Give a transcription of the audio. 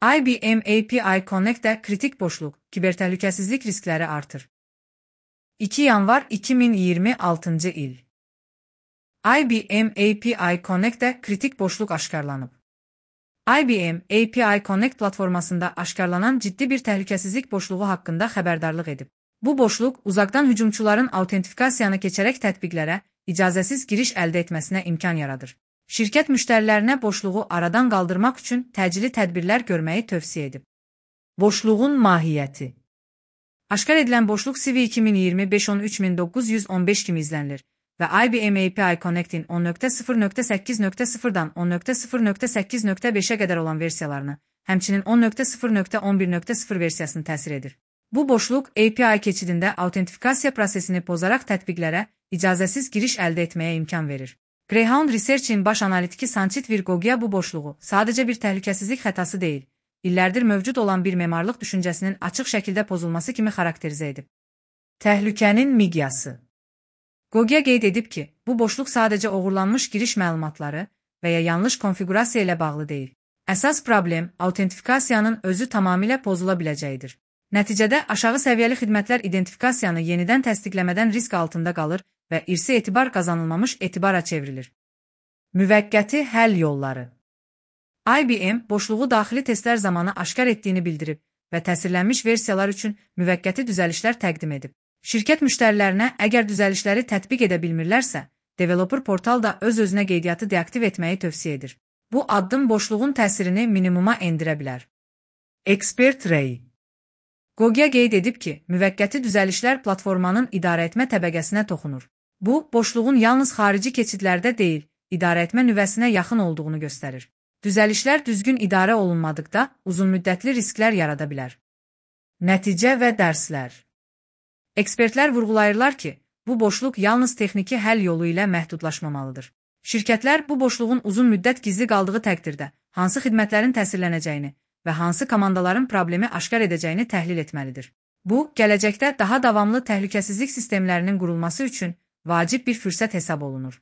IBM API Connect'te kritik boşluk, kibertəhlükəsizlik riskləri artır. 2 yanvar 2026 il. IBM API Connect'te kritik boşluk aşkarlanıb. IBM API Connect platformasında aşkarlanan ciddi bir təhlükəsizlik boşluğu haqqında xəbərdarlıq edib. Bu boşluq uzaqdan hücumçuların autentifikasiyanı keçərək tətbiqlərə icazəsiz giriş əldə etməsinə imkan yaradır. Şirkət müştərilərinə boşluğu aradan qaldırmaq üçün təcili tədbirlər görməyi tövsiyə edib. Boşluğun mahiyyəti. Aşkar edilən boşluq CV 2025-13915 kimi izlənilir və IBM API Connect'in 10.0.8.0-dan 10.0.8.5-ə qədər olan versiyalarını, həmçinin 10.0.11.0 versiyasını təsir edir. Bu boşluq API keçidində autentifikasiya prosesini pozaraq tətbiqlərə icazəsiz giriş əldə etməyə imkan verir. Greyhound Research'in baş analitiki Sanchit Virgogia bu boşluğu sadəcə bir təhlükəsizlik xətası deyil, illərdir mövcud olan bir memarlıq düşüncəsinin açıq şəkildə pozulması kimi xarakterizə edib. Təhlükənin miqyası. Gogia qeyd edib ki, bu boşluq sadəcə oğurlanmış giriş məlumatları və ya yanlış konfiqurasiya ilə bağlı deyil. Əsas problem autentifikasiyanın özü tamamilə pozula biləcəyidir. Nəticədə aşağı səviyyəli xidmətlər identifikasiyanı yenidən təsdiqləmədən risk altında qalır və irsi etibar qazanılmamış etibara çevrilir. Müvəqqəti həll yolları. IBM boşluğu daxili testlər zamanı aşkar etdiyini bildirib və təsirlənmiş versiyalar üçün müvəqqəti düzəlişlər təqdim edib. Şirkət müştərilərinə əgər düzəlişləri tətbiq edə bilmirlərsə, developer portal da öz-özünə qeydiyyatı deaktiv etməyi tövsiyə edir. Bu addım boşluğun təsirini minimuma endirə bilər. Expert Ray. Gogia qeyd edib ki, müvəqqəti düzəlişlər platformanın idarəetmə təbəqəsinə toxunur. Bu, boşluğun yalnız xarici keçidlərdə deyil, idarəetmə nüvəsinə yaxın olduğunu göstərir. Düzəlişlər düzgün idarə olunmadıqda uzunmüddətli risklər yarada bilər. Nəticə və dərslər. Ekspertlər vurğulayırlar ki, bu boşluq yalnız texniki həll yolu ilə məhdudlaşmamalıdır. Şirkətlər bu boşluğun uzun müddət gizli qaldığı təqdirdə hansı xidmətlərin təsirlənəcəyini və hansı komandaların problemi aşkar edəcəyini təhlil etməlidir. Bu, gələcəkdə daha davamlı təhlükəsizlik sistemlərinin qurulması üçün vacib bir fürsət hesab olunur.